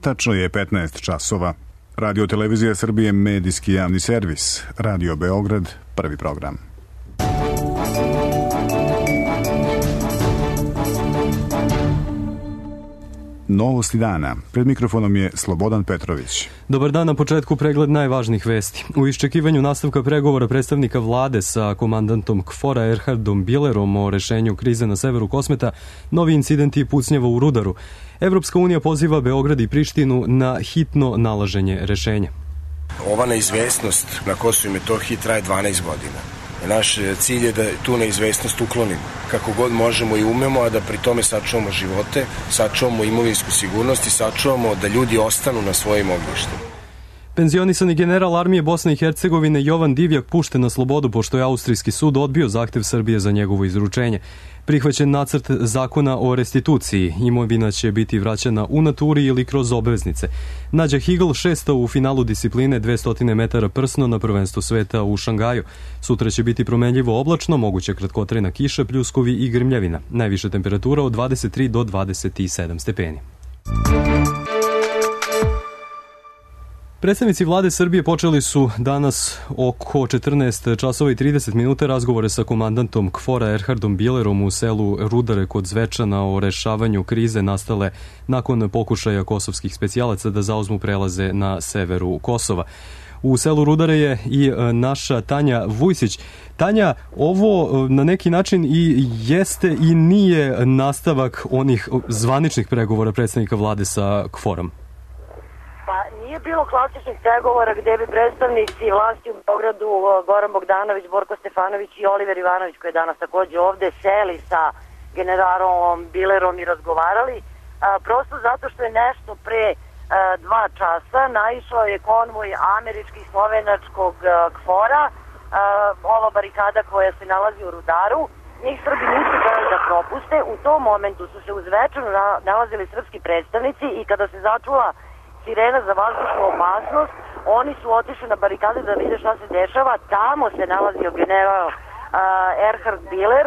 Tačno je 15 časova. Radio Televizija Srbije, medijski javni servis. Radio Beograd, prvi program. Novosti dana. Pred mikrofonom je Slobodan Petrović. Dobar dan, na početku pregled najvažnijih vesti. U iščekivanju nastavka pregovora predstavnika vlade sa komandantom KFOR-a Erhardom Bilerom o rešenju krize na severu Kosmeta, novi incidenti i pucnjava u Rudaru. Evropska unija poziva Beograd i Prištinu na hitno nalaženje rešenja. Ova neizvesnost na Kosovu i Metohiji traje 12 godina. Naš cilj je da tu neizvesnost uklonimo kako god možemo i umemo, a da pri tome sačuvamo živote, sačuvamo imovinsku sigurnost i sačuvamo da ljudi ostanu na svojim ognjištima. Penzionisani general armije Bosne i Hercegovine Jovan Divjak pušten na slobodu pošto je austrijski sud odbio zahtev Srbije za njegovo izručenje. Prihvaćen nacrt zakona o restituciji. Imovina će biti vraćena u naturi ili kroz obveznice. Nađa Higl šesta u finalu discipline 200 metara prsno na prvenstvu sveta u Šangaju. Sutra će biti promenljivo oblačno, moguća kratkotrajna kiša, pljuskovi i grmljavina. Najviša temperatura od 23 do 27 stepeni. Predstavnici vlade Srbije počeli su danas oko 14 časova i 30 minuta razgovore sa komandantom KFOR-a Erhardom Bilerom u selu Rudare kod Zvečana o rešavanju krize nastale nakon pokušaja kosovskih specijalaca da zauzmu prelaze na severu Kosova. U selu Rudare je i naša Tanja Vujsić. Tanja, ovo na neki način i jeste i nije nastavak onih zvaničnih pregovora predstavnika vlade sa KFOR-om. Nije bilo klasičnih pregovora gde bi predstavnici vlasti u Beogradu Goran Bogdanović, Borko Stefanović i Oliver Ivanović, koji je danas takođe ovde, seli sa generalom Bilerom i razgovarali. Prosto zato što je nešto pre 2 časa naišao je konvoj američkih slovenačkog KFOR-a, ova barikada koja se nalazi u Rudaru. Njih Srbi nisu hteli da propuste. U tom momentu su se uz Zvečanu nalazili srpski predstavnici i kada se začula sirena za vazdušnu opasnost, oni su otišli na barikade da vide šta se dešava. Tamo se nalazio general Erhard Biler,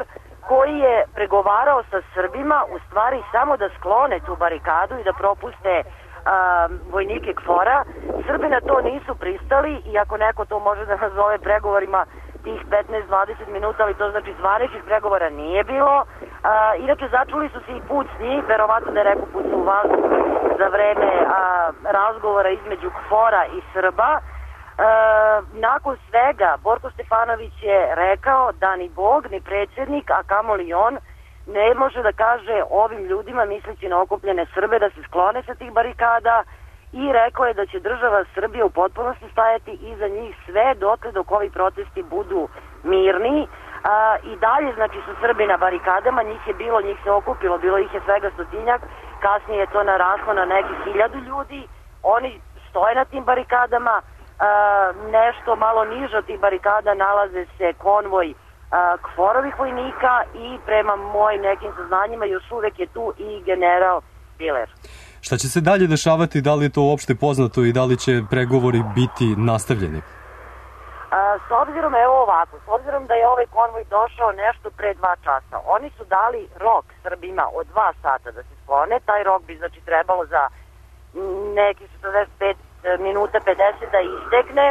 koji je pregovarao sa Srbima u stvari samo da sklone tu barikadu i da propuste vojnike KFOR-a. Srbi na to nisu pristali, iako neko to može da nazove pregovorima tih 15-20 minuta, ali to znači zvaničnih pregovora nije bilo. Inače, začuli su se i pucnji, verovatno da je rekao pucnju u vazduh za vreme razgovora između KFOR-a i Srba. Nakon svega, Borko Stefanović je rekao da ni Bog, ni predsjednik, a kamoli on, ne može da kaže ovim ljudima, misleći na okupljene Srbe, da se sklone sa tih barikada, i rekao je da će država Srbija u potpunosti stajati iza njih sve dotle dok ovi protesti budu mirni. I dalje, znači, su Srbi na barikadama, njih se okupilo, bilo ih je svega 100-tinjak, kasnije je to naraslo na nekih 1000 ljudi, oni stoje na tim barikadama, nešto malo niže od tih barikada nalaze se konvoj KFOR-ovih vojnika i prema mojim nekim saznanjima još uvek je tu i general Biler. Šta će se dalje dešavati, da li je to uopšte poznato i da li će pregovori biti nastavljeni? S obzirom, evo ovako, s obzirom da je ovaj konvoj došao nešto pre 2 časa, oni su dali rok Srbima od 2 sata da se sklone, taj rok bi znači trebalo za neki 45 minuta 50 da istekne,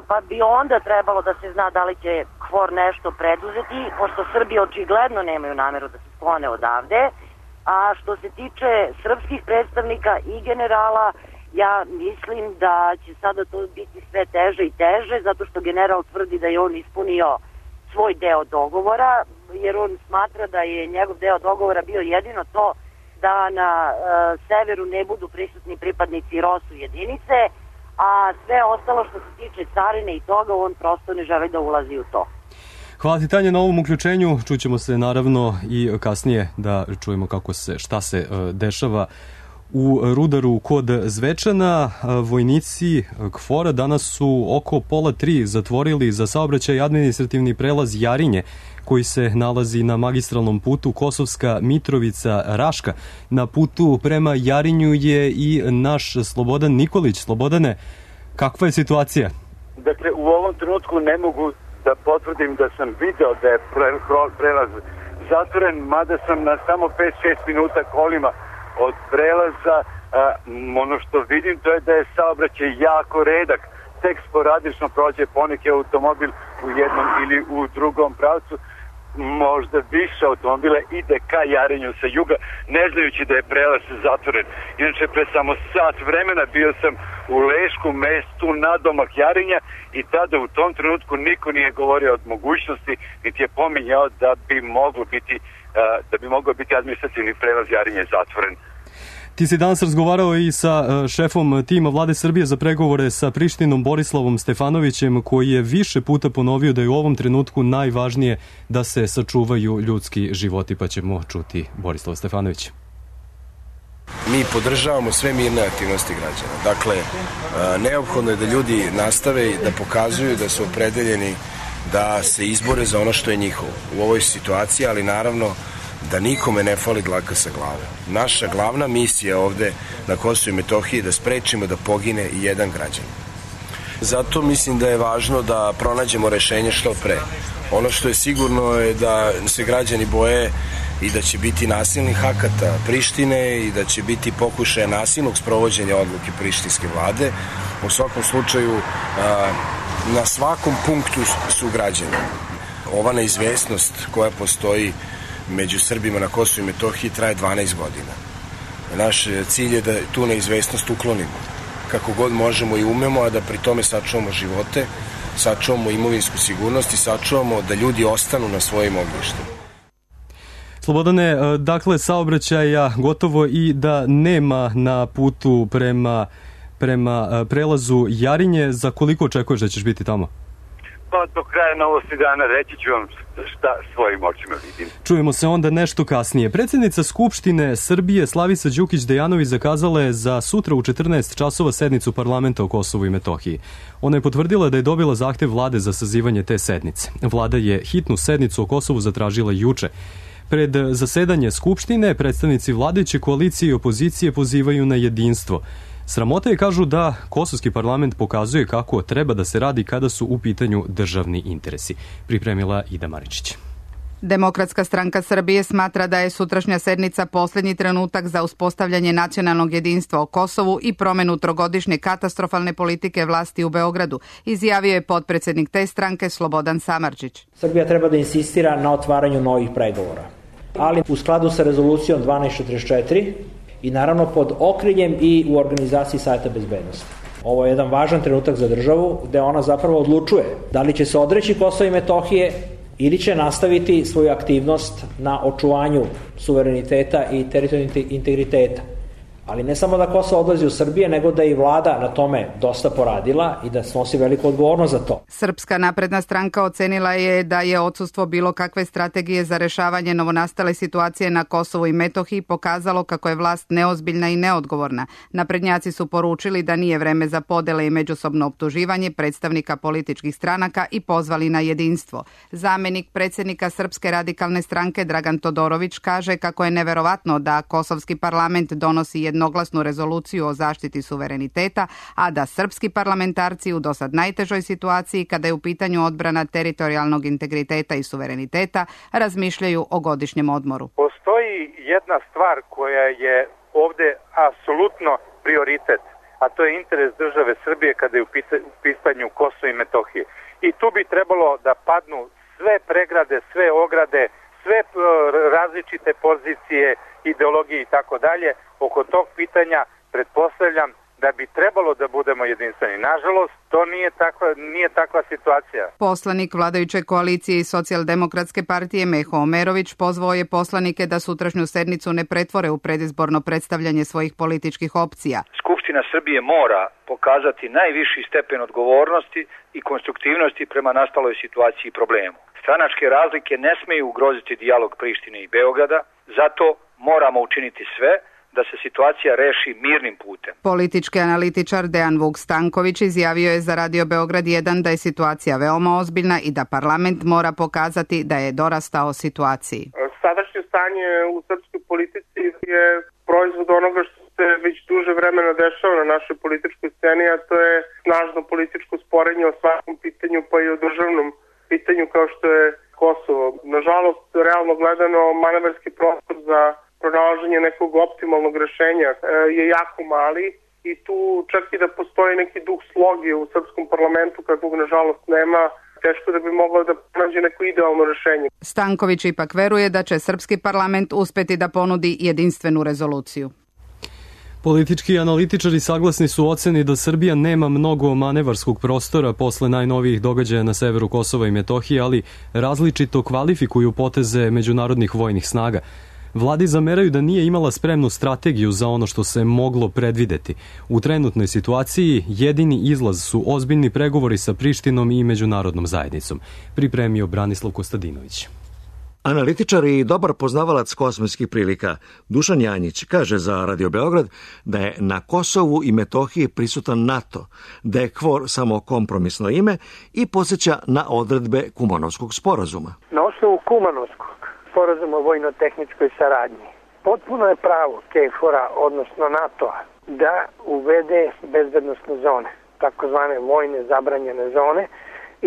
pa bi onda trebalo da se zna da li će KFOR nešto preduzeti, pošto Srbi očigledno nemaju nameru da se sklone odavde. A što se tiče srpskih predstavnika i generala, ja mislim da će sada to biti sve teže i teže, zato što general tvrdi da je on ispunio svoj deo dogovora, jer on smatra da je njegov deo dogovora bio jedino to da na severu ne budu prisutni pripadnici ROSU jedinice, a sve ostalo što se tiče carine i toga, on prosto ne želi da ulazi u to. Hvala ti, Tanja, na ovom uključenju. Čućemo se naravno i kasnije da čujemo šta se dešava u Rudaru kod Zvečana. Vojnici KFOR-a danas su oko 2:30 zatvorili za saobraćaj administrativni prelaz Jarinje, koji se nalazi na magistralnom putu Kosovska Mitrovica-Raška. Na putu prema Jarinju je i naš Slobodan Nikolić. Slobodane, kakva je situacija? Dakle, u ovom trenutku ne mogu da potvrdim da sam video da je prelaz zatvoren, mada sam na samo 5-6 minuta kolima od prelaza. Ono što vidim to je da je saobraćaj jako redak. Tek sporadično prođe poneki automobil u jednom ili u drugom pravcu. Možda više automobila ide ka Jarinju sa juga, ne znajući da je prelaz zatvoren. Inače, pre samo sat vremena bio sam u Leškom mestu nadomak Jarinja i tada u tom trenutku niko nije govorio od mogućnosti, niti je pominjao da bi mogao biti administrativni prelaz Jarinja zatvoren. Ti si danas razgovarao i sa šefom tima Vlade Srbije za pregovore sa Prištinom Borislavom Stefanovićem, koji je više puta ponovio da je u ovom trenutku najvažnije da se sačuvaju ljudski životi, pa ćemo čuti Borislava Stefanovića. Mi podržavamo sve mirne aktivnosti građana. Dakle, neophodno je da ljudi nastave i da pokazuju da su opredeljeni da se izbore za ono što je njihovo u ovoj situaciji, ali naravno da nikome ne fali dlaka sa glave. Naša glavna misija ovde na Kosovu i Metohiji je da sprečimo da pogine i jedan građan. Zato mislim da je važno da pronađemo rešenje što pre. Ono što je sigurno je da se građani boje i da će biti nasilnih akata Prištine i da će biti pokušaja nasilnog sprovođenja odluke prištinske vlade. U svakom slučaju, na svakom punktu su građani. Ova neizvesnost koja postoji među Srbima na Kosovu i Metohiji traje 12 godina. Naš cilj je da tu neizvesnost uklonimo kako god možemo i umemo, a da pri tome sačuvamo živote, sačuvamo imovinsku sigurnost i sačuvamo da ljudi ostanu na svojim ognjištima. Slobodane, dakle, saobraćaja gotovo i da nema na putu prema prelazu Jarinje. Za koliko očekuješ da ćeš biti tamo? Pa do kraja novosti dana reći ću vam šta svojim očima vidim. Čujemo se onda nešto kasnije. Predsjednica Skupštine Srbije Slavica Đukić Dejanović zakazala je za sutra u 14 časova sednicu parlamenta o Kosovu i Metohiji. Ona je potvrdila da je dobila zahtev vlade za sazivanje te sednice. Vlada je hitnu sednicu o Kosovu zatražila juče. Pred zasedanje Skupštine predstavnici vladajuće koalicije i opozicije pozivaju na jedinstvo. Sramota je, kažu, da kosovski parlament pokazuje kako treba da se radi kada su u pitanju državni interesi. Pripremila Ida Maričić. Demokratska stranka Srbije smatra da je sutrašnja sednica posljednji trenutak za uspostavljanje nacionalnog jedinstva o Kosovu i promenu trogodišnje katastrofalne politike vlasti u Beogradu, izjavio je potpredsjednik te stranke Slobodan Samardžić. Srbija treba da insistira na otvaranju novih pregovora, ali u skladu sa rezolucijom 1244 i naravno pod okriljem i u organizaciji Saveta bezbednosti. Ovo je jedan važan trenutak za državu gde ona zapravo odlučuje da li će se odreći Kosova i Metohije ili će nastaviti svoju aktivnost na očuvanju suvereniteta i teritorijalnog integriteta. Ali ne samo da Kosovo odlazi u Srbije, nego da i vlada na tome dosta poradila i da snosi veliku odgovornost za to. Srpska napredna stranka ocenila je da je odsustvo bilo kakve strategije za rešavanje novonastale situacije na Kosovu i Metohiji pokazalo kako je vlast neozbiljna i neodgovorna. Naprednjaci su poručili da nije vreme za podele i međusobno optuživanje predstavnika političkih stranaka i pozvali na jedinstvo. Zamenik predsjednika Srpske radikalne stranke Dragan Todorović kaže kako je neverovatno da kosovski parlament donosi jednoglasnu rezoluciju o zaštiti suvereniteta, a da srpski parlamentarci u dosad najtežoj situaciji kada je u pitanju odbrana teritorijalnog integriteta i suvereniteta razmišljaju o godišnjem odmoru. Postoji jedna stvar koja je ovde apsolutno prioritet, a to je interes države Srbije kada je u pitanju Kosovo i Metohije. I tu bi trebalo da padnu sve pregrade, sve ograde, sve različite pozicije, ideologije i tako dalje. Oko tog pitanja pretpostavljam da bi trebalo da budemo jedinstveni. Nažalost, to nije takva situacija. Poslanik vladajuće koalicije i Socijaldemokratske partije Meho Omerović pozvao je poslanike da sutrašnju sednicu ne pretvore u predizborno predstavljanje svojih političkih opcija. Skupština Srbije mora pokazati najviši stepen odgovornosti i konstruktivnosti prema nastaloj situaciji i problemu. Stranačke razlike ne smeju ugroziti dijalog Prištine i Beograda, zato moramo učiniti sve da se situacija reši mirnim putem. Politički analitičar Dejan Vuk Stanković izjavio je za Radio Beograd 1 da je situacija veoma ozbiljna i da parlament mora pokazati da je dorastao situaciji. Sadašnje stanje u srpskoj politici je proizvod onoga što se već duže vremena dešava na našoj političkoj sceni, a to je snažno političko sporenje o svakom pitanju, pa i o državnom pitanju kao što je Kosovo. Nažalost, realno gledano, manevarski prostor za pronalaženje nekog optimalnog rešenja je jako mali i tu čak i da postoji neki duh sloge u srpskom parlamentu, kakvog nažalost nema, teško da bi moglo da pronađe neko idealno rešenje. Stanković ipak veruje da će srpski parlament uspeti da ponudi jedinstvenu rezoluciju. Politički analitičari saglasni su oceni da Srbija nema mnogo manevarskog prostora posle najnovijih događaja na severu Kosova i Metohije, ali različito kvalifikuju poteze međunarodnih vojnih snaga. Vladi zameraju da nije imala spremnu strategiju za ono što se moglo predvideti. U trenutnoj situaciji jedini izlaz su ozbiljni pregovori sa Prištinom i međunarodnom zajednicom, pripremio Branislav Kostadinović. Analitičar i dobar poznavalac kosmijskih prilika Dušan Janjić kaže za Radio Beograd da je na Kosovu i Metohiji prisutan NATO, da je KFOR samo kompromisno ime i podsjeća na odredbe Kumanovskog sporazuma. Na osnovu Kumanovskog sporazuma o vojno-tehničkoj saradnji potpuno je pravo KFOR-a, odnosno NATO-a, da uvede bezbednosne zone, takozvane vojne zabranjene zone,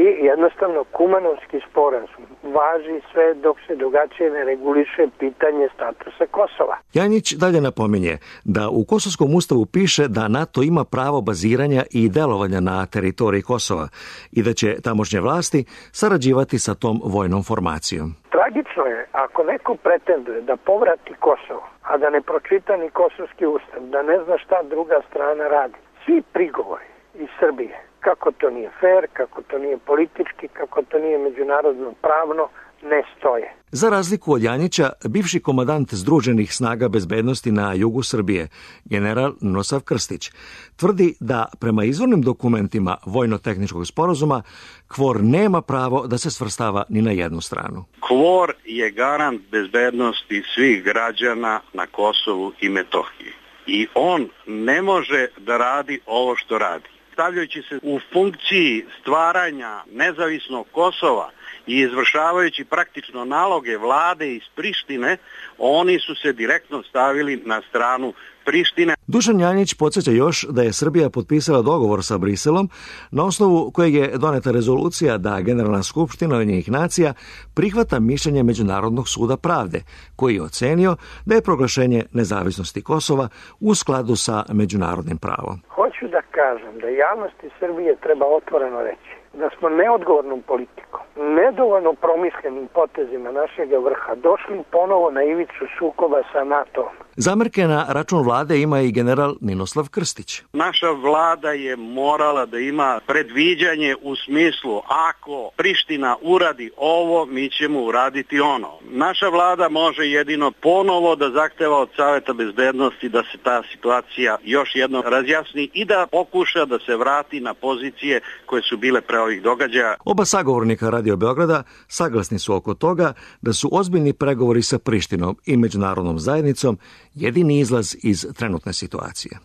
i jednostavno Kumanovski sporazum važi sve dok se drugačije ne reguliše pitanje statusa Kosova. Janjić dalje napominje da u Kosovskom ustavu piše da NATO ima pravo baziranja i delovanja na teritoriji Kosova i da će tamošnje vlasti sarađivati sa tom vojnom formacijom. Tragično je ako neko pretenduje da povrati Kosovo, a da ne pročita ni Kosovski ustav, da ne zna šta druga strana radi. Svi prigovori iz Srbije, kako to nije fair, kako to nije politički, kako to nije međunarodno pravno, ne stoje. Za razliku od Janjića, bivši komandant Združenih snaga bezbednosti na jugu Srbije, general Ninoslav Krstić, tvrdi da prema izvornim dokumentima vojno-tehničkog sporazuma KFOR nema pravo da se svrstava ni na jednu stranu. KFOR je garant bezbednosti svih građana na Kosovu i Metohiji. I on ne može da radi ovo što radi. Stavljajući se u funkciji stvaranja nezavisnog Kosova i izvršavajući praktično naloge vlade iz Prištine, oni su se direktno stavili na stranu Prištine. Dušan Janjić podsjeća još da je Srbija potpisala dogovor sa Briselom na osnovu kojeg je doneta rezolucija da Generalna skupština Ujedinjenih nacija prihvata mišljenje Međunarodnog suda pravde, koji je ocenio da je proglašenje nezavisnosti Kosova u skladu sa međunarodnim pravom. Hoću da kažem da javnosti Srbije treba otvoreno reći da smo neodgovornom politikom, nedovoljno promišljenim potezima našeg vrha došli ponovo na ivicu sukoba sa NATO-om. Zamerke na račun vlade ima i general Ninoslav Krstić. Naša vlada je morala da ima predviđanje u smislu ako Priština uradi ovo, mi ćemo uraditi ono. Naša vlada može jedino ponovo da zahteva od Saveta bezbednosti da se ta situacija još jednom razjasni i da pokuša da se vrati na pozicije koje su bile pre ovih događaja. Oba sagovornika Radio Beograda saglasni su oko toga da su ozbiljni pregovori sa Prištinom i međunarodnom zajednicom jedini izlaz iz trenutne situacije.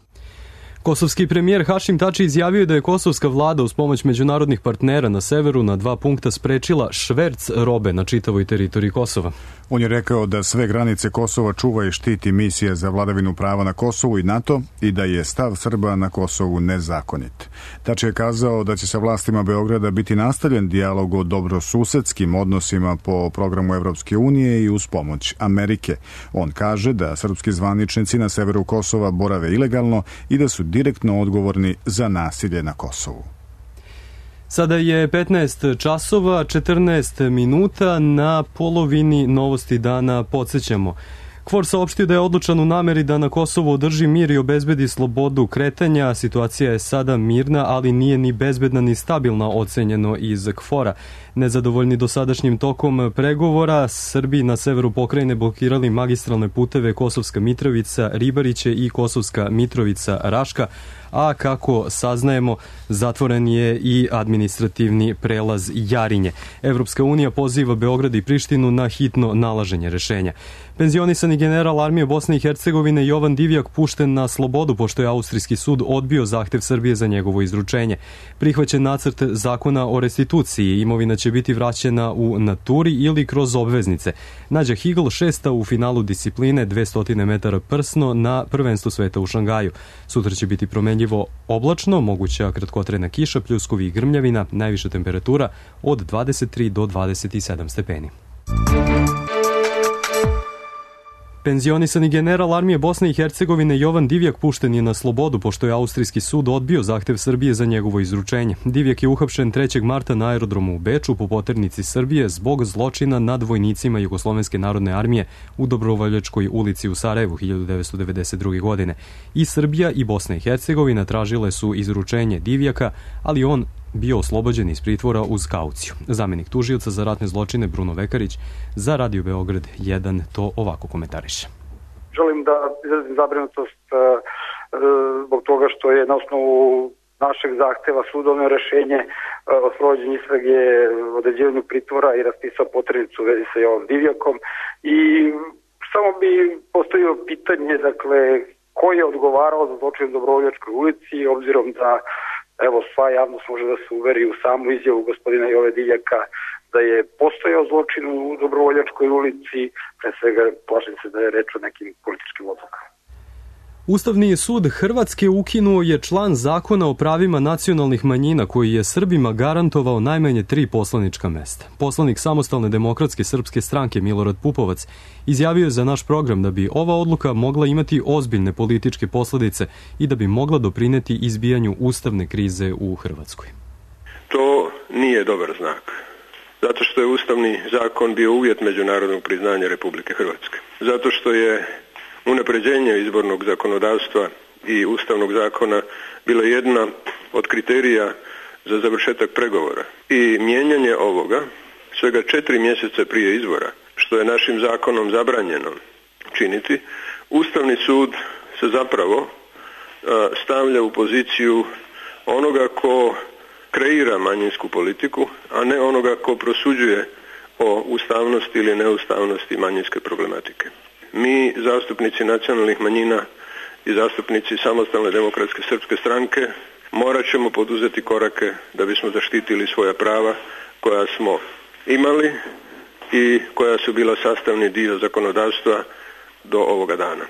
Kosovski premijer Hašim Tači izjavio da je kosovska vlada uz pomoć međunarodnih partnera na severu na 2 punkta sprečila šverc robe na čitavoj teritoriji Kosova. On je rekao da sve granice Kosova čuva i štiti misija za vladavinu prava na Kosovu i NATO i da je stav Srba na Kosovu nezakonit. Tači je kazao da će sa vlastima Beograda biti nastavljen dijalog o dobrosusedskim odnosima po programu Evropske unije i uz pomoć Amerike. On kaže da srpski zvaničnici na severu Kosova borave ilegalno i da su direktno odgovorni za nasilje na Kosovu. Sada je 15 časova, 14 minuta, na polovini novosti dana podsjećamo. KFOR saopštio da je odlučan u nameri da na Kosovu održi mir i obezbedi slobodu kretanja. Situacija je sada mirna, ali nije ni bezbedna ni stabilna, ocenjeno iz KFOR-a. Nezadovoljni dosadašnjim tokom pregovora, Srbi na severu pokrajine blokirali magistralne puteve Kosovska Mitrovica, Ribariće i Kosovska Mitrovica, Raška, a kako saznajemo, zatvoren je i administrativni prelaz Jarinje. Evropska unija poziva Beograd i Prištinu na hitno nalaženje rešenja. Penzionisani general armije Bosne i Hercegovine Jovan Divjak pušten na slobodu pošto je austrijski sud odbio zahtev Srbije za njegovo izručenje. Prihvaćen nacrt zakona o restituciji, imovina će biti vraćena u naturi ili kroz obveznice. Nađa Higl 6. u finalu discipline 200 metara prsno na prvenstvu sveta u Šangaju. Sutra će biti promenljivo oblačno, moguća kratkotrajna kiša, pljuskovi i grmljavina, najviša temperatura od 23 do 27 stepeni. Penzionisani general armije Bosne i Hercegovine Jovan Divjak pušten je na slobodu pošto je austrijski sud odbio zahtev Srbije za njegovo izručenje. Divjak je uhapšen 3. marta na aerodromu u Beču po poternici Srbije zbog zločina nad vojnicima Jugoslovenske narodne armije u Dobrovoljačkoj ulici u Sarajevu 1992. godine. I Srbija i Bosna i Hercegovina tražile su izručenje Divjaka, ali on bio oslobođen iz pritvora uz kauciju. Zamenik tužioca za ratne zločine Bruno Vekarić za Radio Beograd 1 to ovako komentariše. Želim da izrazim zabrinutost zbog toga što je na osnovu našeg zahteva sudovno rešenje o sprovođenju istrage, određivanju pritvora i raspisao poternicu u vezi sa Jovan Divjakom. I samo bi postavio pitanje, dakle, ko je odgovarao za zločin u Dobrovoljačkoj ulici, obzirom da sva javnost može da se uveri u samu izjavu gospodina Jove Divjaka da je postojao zločin u Dobrovoljačkoj ulici, pre svega plašim se da je reč o nekim političkim odlukama. Ustavni sud Hrvatske ukinuo je član zakona o pravima nacionalnih manjina koji je Srbima garantovao najmanje 3 poslanička mesta. Poslanik Samostalne demokratske srpske stranke Milorad Pupovac izjavio je za naš program da bi ova odluka mogla imati ozbiljne političke posledice i da bi mogla doprineti izbijanju ustavne krize u Hrvatskoj. To nije dobar znak, zato što je ustavni zakon bio uvjet međunarodnog priznanja Republike Hrvatske. Zato što je unapređenje izbornog zakonodavstva i ustavnog zakona bila jedna od kriterija za završetak pregovora. I mijenjanje ovoga svega 4 mjeseca prije izbora, što je našim zakonom zabranjeno činiti, Ustavni sud se zapravo stavlja u poziciju onoga ko kreira manjinsku politiku, a ne onoga ko prosuđuje o ustavnosti ili neustavnosti manjinske problematike. Mi, zastupnici nacionalnih manjina i zastupnici Samostalne demokratske srpske stranke, morat ćemo poduzeti korake da bismo zaštitili svoja prava koja smo imali i koja su bila sastavni dio zakonodavstva do ovoga dana.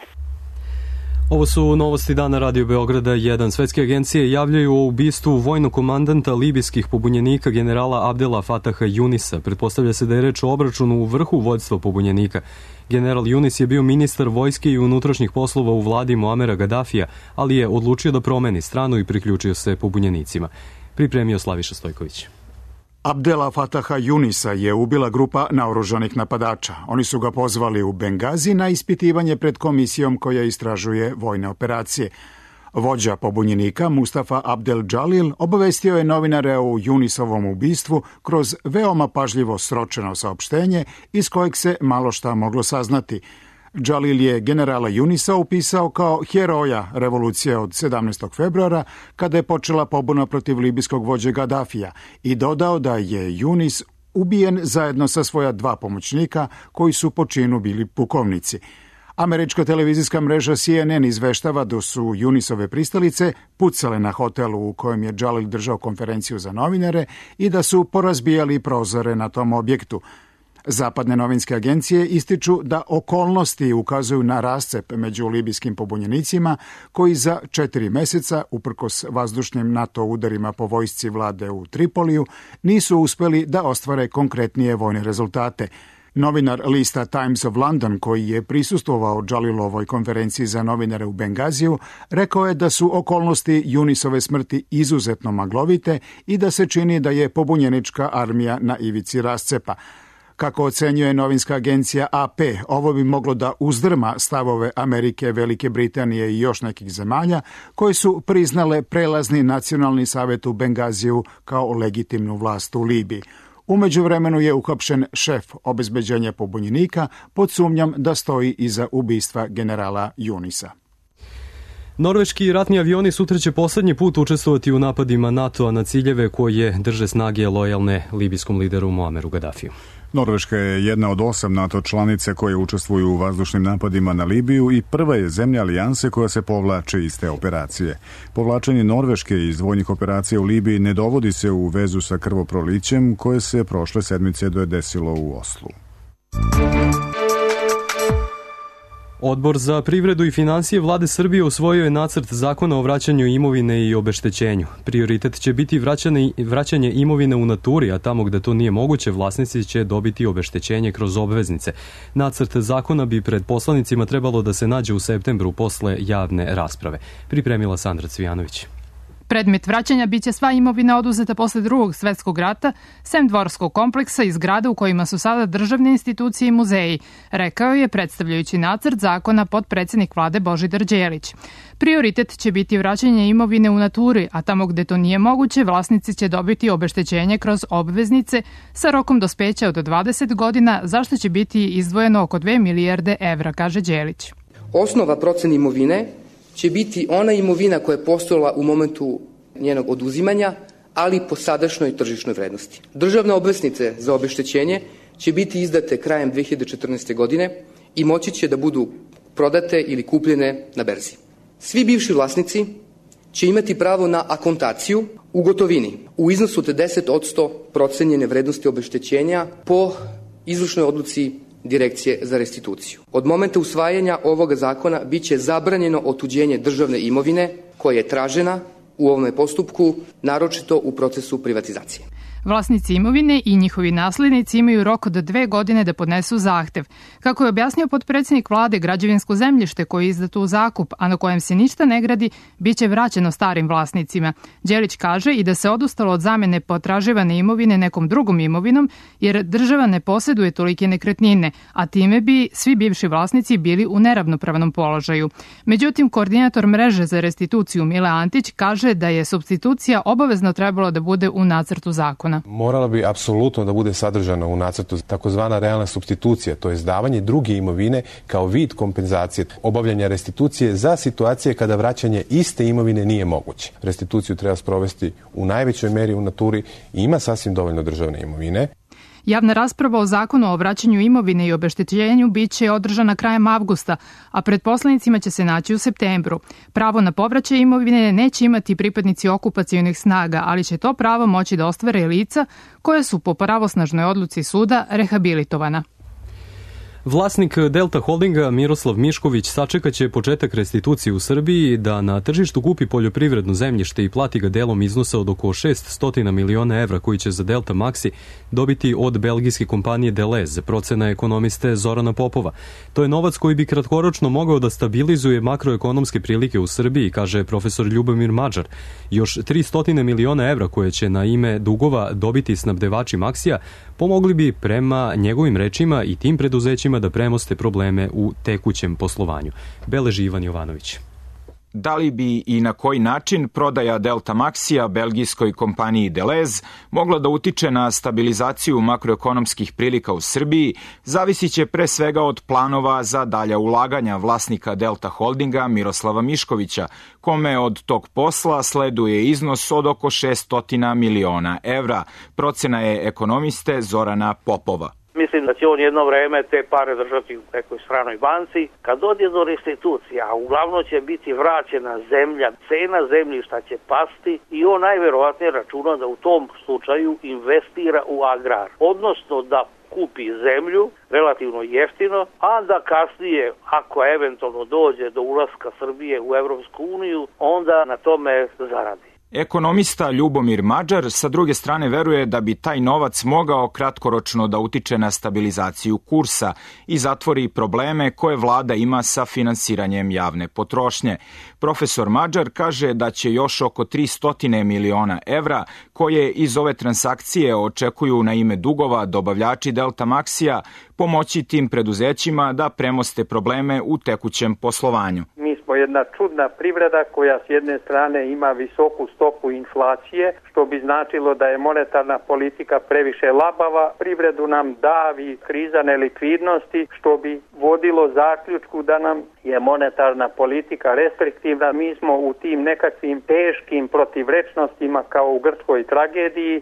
Ovo su novosti dana Radio Beograda 1. Svetske agencije javljaju o ubistvu vojnog komandanta libijskih pobunjenika generala Abdela Fataha Junisa. Pretpostavlja se da je reč o obračunu u vrhu vođstva pobunjenika. General Junis je bio ministar vojske i unutrašnjih poslova u vladi Muamera Gaddafija, ali je odlučio da promeni stranu i priključio se pobunjenicima. Pripremio Slaviša Stojković. Abdela Fataha Junisa je ubila grupa naoružanih napadača. Oni su ga pozvali u Bengazi na ispitivanje pred komisijom koja istražuje vojne operacije. Vođa pobunjenika Mustafa Abdel Džalil obavestio je novinare o Junisovom ubistvu kroz veoma pažljivo sročeno saopštenje iz kojeg se malo šta moglo saznati. Džalil je generala Junisa upisao kao heroja revolucije od 17. februara kada je počela pobuna protiv libijskog vođe Gaddafija i dodao da je Junis ubijen zajedno sa svoja 2 pomoćnika koji su po činu bili pukovnici. Američka televizijska mreža CNN izveštava da su Junisove pristalice pucale na hotelu u kojem je Džalil držao konferenciju za novinare i da su porazbijali prozore na tom objektu. Zapadne novinske agencije ističu da okolnosti ukazuju na rascep među libijskim pobunjenicima koji za 4 meseca, uprkos vazdušnim NATO udarima po vojsci vlade u Tripoliju, nisu uspeli da ostvare konkretnije vojne rezultate. Novinar lista Times of London, koji je prisustvovao Džalilovoj konferenciji za novinare u Bengaziju, rekao je da su okolnosti Junisove smrti izuzetno maglovite i da se čini da je pobunjenička armija na ivici rascepa. Kako ocenjuje novinska agencija AP, ovo bi moglo da uzdrma stavove Amerike, Velike Britanije i još nekih zemalja koje su priznale prelazni nacionalni savjet u Bengaziju kao legitimnu vlast u Libiji. U međuvremenu je uhapšen šef obezbeđenja pobunjenika pod sumnjom da stoji iza ubistva generala Junisa. Norveški ratni avioni sutra će poslednji put učestvovati u napadima NATO-a na ciljeve koje drže snage lojalne libijskom lideru Muameru Gaddafiju. Norveška je jedna od 8 NATO članice koje učestvuju u vazdušnim napadima na Libiju i prva je zemlja alijanse koja se povlači iz te operacije. Povlačenje Norveške iz vojnih operacija u Libiji ne dovodi se u vezu sa krvoprolićem koje se prošle sedmice desilo u Oslu. Odbor za privredu i finansije Vlade Srbije usvojio je nacrt zakona o vraćanju imovine i obeštećenju. Prioritet će biti vraćanje imovine u naturi, a tamo gde to nije moguće, vlasnici će dobiti obeštećenje kroz obveznice. Nacrt zakona bi pred poslanicima trebalo da se nađe u septembru posle javne rasprave. Pripremila Sandra Cvijanović. Predmet vraćanja biće sva imovina oduzeta posle Drugog svetskog rata, sem dvorskog kompleksa i zgrada u kojima su sada državne institucije i muzeji, rekao je predstavljajući nacrt zakona potpredsednik Vlade Božidar Đelić. Prioritet će biti vraćanje imovine u naturi, a tamo gde to nije moguće, vlasnici će dobiti obeštećenje kroz obveznice sa rokom dospeća od 20 godina, za što će biti izdvojeno oko 2 milijarde evra, kaže Đelić. Osnova procene imovine će biti ona imovina koja je postojala u momentu njenog oduzimanja, ali po sadašnjoj tržišnoj vrednosti. Državne obveznice za obeštećenje će biti izdate krajem 2014. godine i moći će da budu prodate ili kupljene na berzi. Svi bivši vlasnici će imati pravo na akontaciju u gotovini u iznosu od 10% procenjene vrednosti obeštećenja po izvršnoj odluci Direkcije za restituciju. Od momenta usvajanja ovoga zakona biće zabranjeno otuđenje državne imovine koja je tražena u ovome postupku, naročito u procesu privatizacije. Vlasnici imovine i njihovi naslednici imaju rok od 2 godine da podnesu zahtev. Kako je objasnio potpredsednik Vlade, građevinsko zemljište koje je izdato u zakup, a na kojem se ništa ne gradi, biće vraćeno starim vlasnicima. Đelić kaže i da se odustalo od zamene potraživane imovine nekom drugom imovinom, jer država ne poseduje tolike nekretnine, a time bi svi bivši vlasnici bili u neravnopravnom položaju. Međutim, koordinator mreže za restituciju Mile Antić kaže da je supstitucija obavezno trebalo da bude u nacrtu zakona. Morala bi apsolutno da bude sadržana u nacrtu takozvana realna supstitucija, to je davanje druge imovine kao vid kompenzacije, obavljanja restitucije za situacije kada vraćanje iste imovine nije moguće. Restituciju treba sprovesti u najvećoj meri u naturi i ima sasvim dovoljno državne imovine. Javna rasprava o zakonu o vraćanju imovine i obeštećenju biće održana krajem avgusta, a pred poslanicima će se naći u septembru. Pravo na povraćaj imovine neće imati pripadnici okupacionih snaga, ali će to pravo moći da ostvare lica koje su po pravosnažnoj odluci suda rehabilitovana. Vlasnik Delta Holdinga Miroslav Mišković sačekaće početak restitucije u Srbiji da na tržištu kupi poljoprivredno zemljište i plati ga delom iznosa od oko 600 miliona evra koji će za Delta Maxi dobiti od belgijske kompanije Delez, procena ekonomiste Zorana Popova. To je novac koji bi kratkoročno mogao da stabilizuje makroekonomske prilike u Srbiji, kaže profesor Ljubomir Mađar. Još 300 miliona evra koje će na ime dugova dobiti snabdevači Maxija pomogli bi prema njegovim rečima i tim preduzećima da premoste probleme u tekućem poslovanju. Beleži Ivan Jovanović. Da li bi i na koji način prodaja Delta Maxija belgijskoj kompaniji Delez mogla da utiče na stabilizaciju makroekonomskih prilika u Srbiji, zavisit će pre svega od planova za dalja ulaganja vlasnika Delta Holdinga Miroslava Miškovića, kome od tog posla sleduje iznos od oko 600 miliona evra, procena je ekonomiste Zorana Popova. Mislim da će on jedno vreme te pare držati u nekoj stranoj banci. Kad dođe do restitucija, a uglavnom će biti vraćena zemlja, cena zemljišta će pasti i on najverovatnije računa da u tom slučaju investira u agrar. Odnosno da kupi zemlju relativno jeftino, a da kasnije, ako eventualno dođe do ulaska Srbije u Evropsku uniju, onda na tome zaradi. Ekonomista Ljubomir Mađar sa druge strane veruje da bi taj novac mogao kratkoročno da utiče na stabilizaciju kursa i zatvori probleme koje vlada ima sa finansiranjem javne potrošnje. Profesor Mađar kaže da će još oko 300 miliona evra koje iz ove transakcije očekuju na ime dugova dobavljači Delta Maxija pomoći tim preduzećima da premoste probleme u tekućem poslovanju. Mi smo jedna čudna privreda koja s jedne strane ima visoku stopu inflacije, što bi značilo da je monetarna politika previše labava, privredu nam davi kriza nelikvidnosti, što bi vodilo zaključku da nam je monetarna politika restriktivna. Mi smo u tim nekakvim teškim protivrečnostima kao u grčkoj tragediji,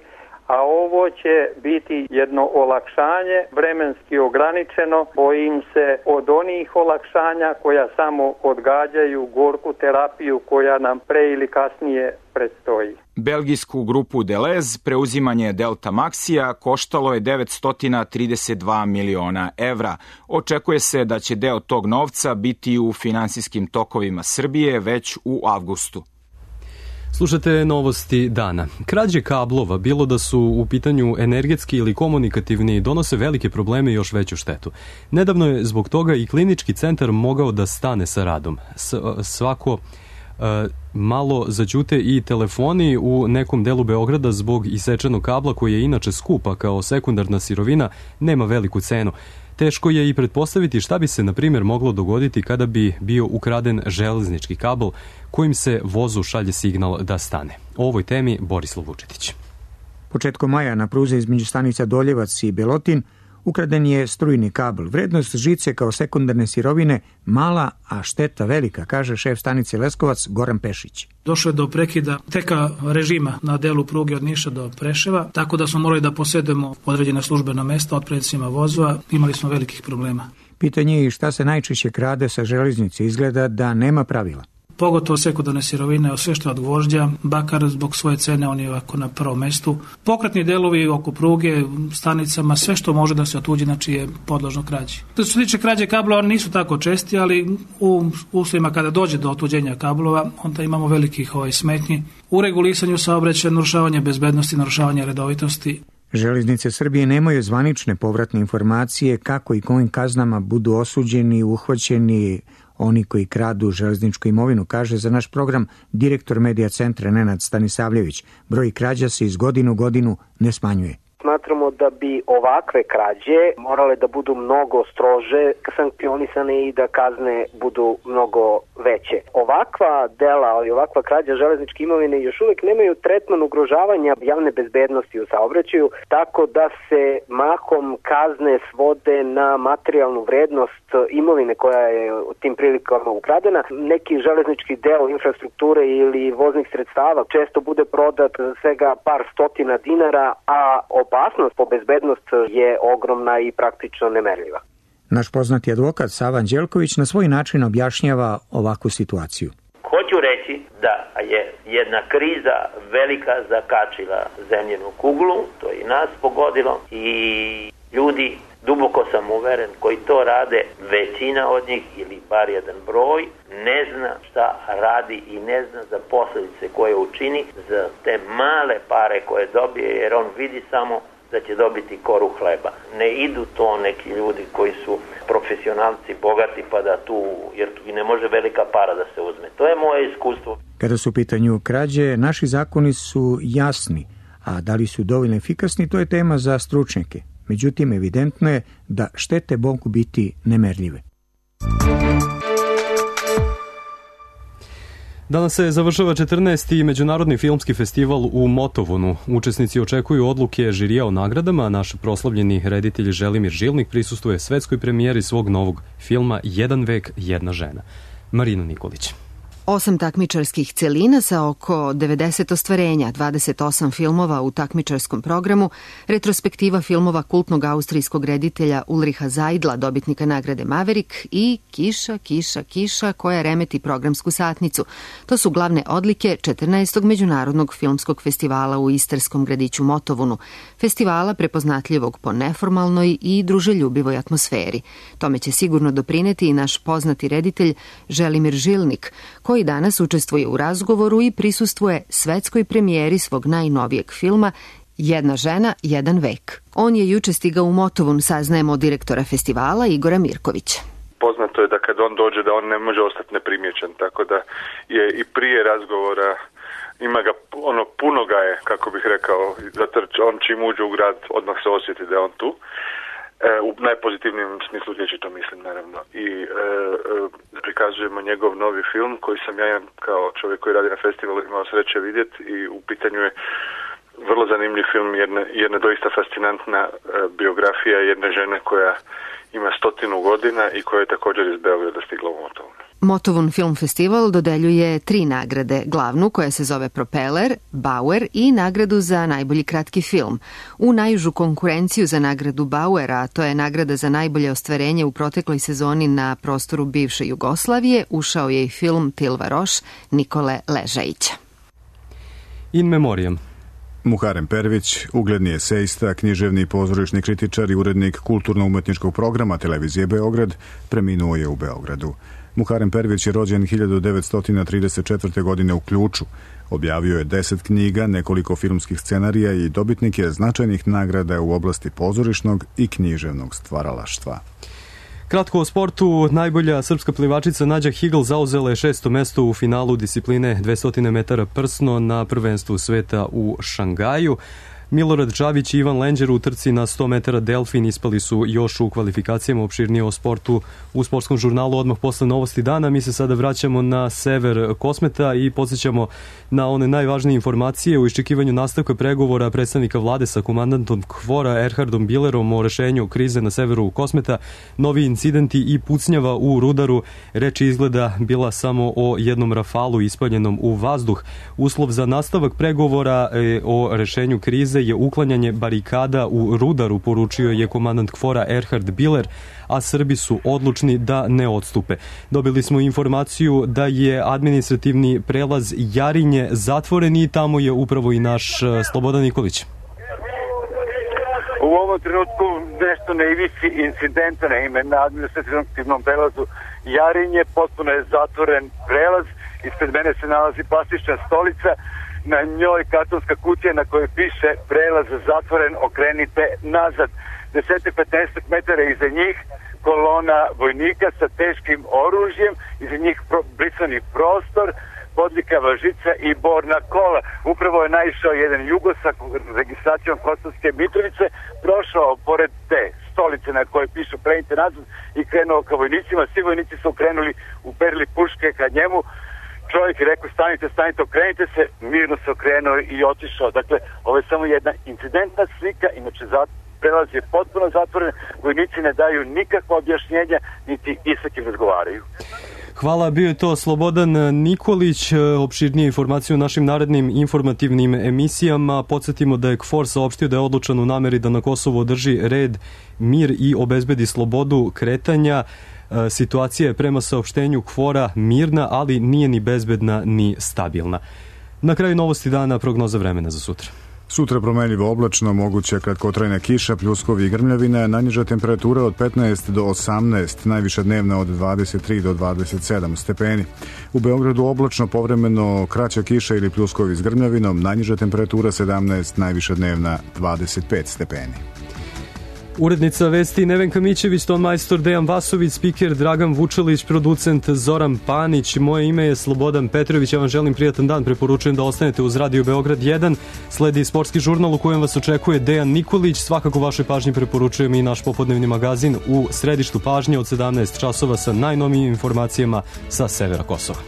a ovo će biti jedno olakšanje, vremenski ograničeno. Bojim se od onih olakšanja koja samo odgađaju gorku terapiju koja nam pre ili kasnije predstoji. Belgijsku grupu Deleuze preuzimanje Delta Maxija koštalo je 932 miliona evra. Očekuje se da će deo tog novca biti u finansijskim tokovima Srbije već u avgustu. Slušate novosti dana. Krađe kablova, bilo da su u pitanju energetski ili komunikativni, donose velike probleme i još veću štetu. Nedavno je zbog toga i klinički centar mogao da stane sa radom. Svako malo zaćute i telefoni u nekom delu Beograda zbog isečenog kabla koji je inače skupa kao sekundarna sirovina, nema veliku cenu. Teško je i pretpostaviti šta bi se, na primjer, moglo dogoditi kada bi bio ukraden železnički kabel kojim se vozu šalje signal da stane. O ovoj temi Borislav Vučetić. Početkom maja na pruzi između stanica Doljevac i Belotin ukraden je strujni kabel. Vrednost žice kao sekundarne sirovine mala, a šteta velika, kaže šef stanice Leskovac Goran Pešić. Došlo je do prekida teka režima na delu pruge od Niša do Preševa, tako da smo morali da posedemo određena službena mesta od predsednicima vozova. Imali smo velikih problema. Pitanje je i šta se najčešće krade sa železnice. Izgleda da nema pravila. Pogotovo sekundarne sirovine, sve što je od gvožđa, bakar zbog svoje cene, on je ovako na prvom mestu. Pokretni delovi oko pruge, stanicama, sve što može da se otuđi, znači je podložno krađi. Što se tiče krađe kablova, oni nisu tako česti, ali u uslovima kada dođe do otuđenja kablova, onda imamo velikih smetnji u regulisanju saobraćaja, narušavanje bezbednosti, narušavanje redovitosti. Železnice Srbije nemaju zvanične povratne informacije kako i kojim kaznama budu osuđeni, uhvaćeni oni koji kradu železničku imovinu, kaže za naš program direktor medija centra Nenad Stanisavljević. Broj krađa se iz godine u godinu ne smanjuje. Smatramo da bi ovakve krađe morale da budu mnogo strože sankcionisane i da kazne budu mnogo veće. Ovakva dela, ali ovakva krađa železničke imovine još uvek nemaju tretman ugrožavanja javne bezbednosti u saobraćaju, tako da se mahom kazne svode na materijalnu vrednost imovine koja je u tim prilikama ukradena. Neki železnički deo infrastrukture ili voznih sredstava često bude prodat svega par stotina dinara, a opasnost po bezbednost je ogromna i praktično nemerljiva. Naš poznati advokat Sava Anđelković na svoj način objašnjava ovakvu situaciju. Hoću reći da je jedna kriza velika zakačila zemljenu kuglu, to je i nas pogodilo i ljudi, duboko sam uveren, koji to rade, većina od njih ili bar jedan broj, ne zna šta radi i ne zna za posljedice koje učini za te male pare koje dobije, jer on vidi samo da će dobiti koru hleba. Ne idu to neki ljudi koji su profesionalci, bogati, pa da tu, jer tu i ne može velika para da se uzme. To je moje iskustvo. Kada su u pitanju krađe, naši zakoni su jasni, a da li su dovoljno efikasni, to je tema za stručnjake. Međutim, evidentno je da štete mogu biti nemerljive. Danas se završava 14. Međunarodni filmski festival u Motovunu. Učesnici očekuju odluke žirija o nagradama. Naš proslavljeni reditelj Želimir Žilnik prisustuje svetskoj premijeri svog novog filma Jedan vek, jedna žena. Marina Nikolić. 8 takmičarskih celina sa oko 90 ostvarenja, 28 filmova u takmičarskom programu, retrospektiva filmova kultnog austrijskog reditelja Ulriha Zajdla, dobitnika nagrade Maverick, i Kiša, kiša, kiša, koja remeti programsku satnicu. To su glavne odlike 14. Međunarodnog filmskog festivala u istarskom gradiću Motovunu, festivala prepoznatljivog po neformalnoj i druželjubivoj atmosferi. Tome će sigurno doprineti i naš poznati reditelj Želimir Žilnik, koji danas učestvuje u razgovoru i prisustvuje svetskoj premijeri svog najnovijeg filma Jedna žena, jedan vek. On je juče stigao u Motovun, saznajemo od direktora festivala Igora Mirkovića. Poznato je da kad on dođe da on ne može ostati neprimjećen, tako da je i prije razgovora ima ga, puno ga je, kako bih rekao, zato on čim uđe u grad odmah se osjeti da je on tu. U najpozitivnijem smislu riječi to mislim, naravno. I prikazujemo njegov novi film koji sam ja kao čovjek koji radi na festivalu imao sreće vidjeti i u pitanju je vrlo zanimljiv film, jedna doista fascinantna biografija jedne žene koja ima 100 godina i koja je također iz Beograda stigla u Motovun. Motovun Film Festival dodeljuje 3 nagrade, glavnu koja se zove Propeller, Bauer i nagradu za najbolji kratki film. U najužu konkurenciju za nagradu Bauera, a to je nagrada za najbolje ostvarenje u protekloj sezoni na prostoru bivše Jugoslavije, ušao je i film Tilva Roš Nikole Ležajića. In memoriam. Muharem Pervić, ugledni esejista, književni i pozorišni kritičar i urednik kulturno-umetničkog programa televizije Beograd, preminuo je u Beogradu. Muharem Pervić je rođen 1934. godine u Ključu. Objavio je 10 knjiga, nekoliko filmskih scenarija i dobitnik je značajnih nagrada u oblasti pozorišnog i književnog stvaralaštva. Kratko o sportu, najbolja srpska plivačica Nađa Higl zauzela je 6. mesto u finalu discipline 200 metara prsno na prvenstvu sveta u Šangaju. Milorad Čavić i Ivan Lenđer u trci na 100 metara delfin ispali su još u kvalifikacijama. Opširnije o sportu u sportskom žurnalu odmah posle novosti dana. Mi se sada vraćamo na sever Kosmeta i podsjećamo na one najvažnije informacije u iščekivanju nastavka pregovora predstavnika vlade sa komandantom KFOR-a Erhardom Billerom o rešenju krize na severu Kosmeta. Novi incidenti i pucnjava u Rudaru. Reč izgleda bila samo o jednom rafalu ispaljenom u vazduh. Uslov za nastavak pregovora o rešenju krize je uklanjanje barikada u Rudaru, poručio je komandant KFOR-a Erhard Biller, a Srbi su odlučni da ne odstupe. Dobili smo informaciju da je administrativni prelaz Jarinje zatvoren i tamo je upravo i naš Slobodan Nikolić. U ovom trenutku nešto na ivici incidenta, naime na administrativnom prelazu Jarinje, potpuno je zatvoren prelaz, ispred mene se nalazi plastična stolica, na njoj kartonska kutija na kojoj piše prelaz zatvoren, okrenite nazad. 10-15 metara iza njih kolona vojnika sa teškim oružjem, iza njih brisani prostor, bodljikava žica i borna kola. Upravo je naišao jedan Jugo sa registracijom Kosovske Mitrovice, prošao pored te stolice na kojoj piše okrenite nazad i krenuo ka vojnicima. Svi vojnici su krenuli, uperili puške ka njemu. Čovjek je rekao stanite, okrenite se, mirno se okrenuo i otišao. Dakle, ovo je samo jedna incidentna slika, inače prelaz je potpuno zatvoren, vojnici ne daju nikakva objašnjenja, niti i sa kim razgovaraju. Hvala, bio je to Slobodan Nikolić. Opširnije informacije u našim narednim informativnim emisijama. Podsjetimo da je KFOR saopštio da je odlučan u nameri da na Kosovu održi red, mir i obezbedi slobodu kretanja. Situacija je prema saopštenju KFOR-a mirna, ali nije ni bezbedna ni stabilna. Na kraju novosti dana prognoza vremena za sutra. Sutra promenljivo oblačno, moguća kratkotrajna kiša, pljuskovi i grmljavine, najniža temperatura od 15 do 18, najviša dnevna od 23 do 27 stepeni. U Beogradu oblačno, povremeno kraća kiša ili pljuskovi s grmljavinom, najniža temperatura 17, najviša dnevna 25 stepeni. Urednica vesti Nevenka Mićević, tonmajstor Dejan Vasović, spiker Dragan Vučelić, producent Zoran Panić. Moje ime je Slobodan Petrović, ja vam želim prijatan dan, preporučujem da ostanete uz Radio Beograd 1. Sledi sportski žurnal u kojem vas očekuje Dejan Nikolić, svakako vašoj pažnji preporučujem i naš popodnevni magazin u središtu pažnje od 17 časova sa najnovijim informacijama sa severa Kosova.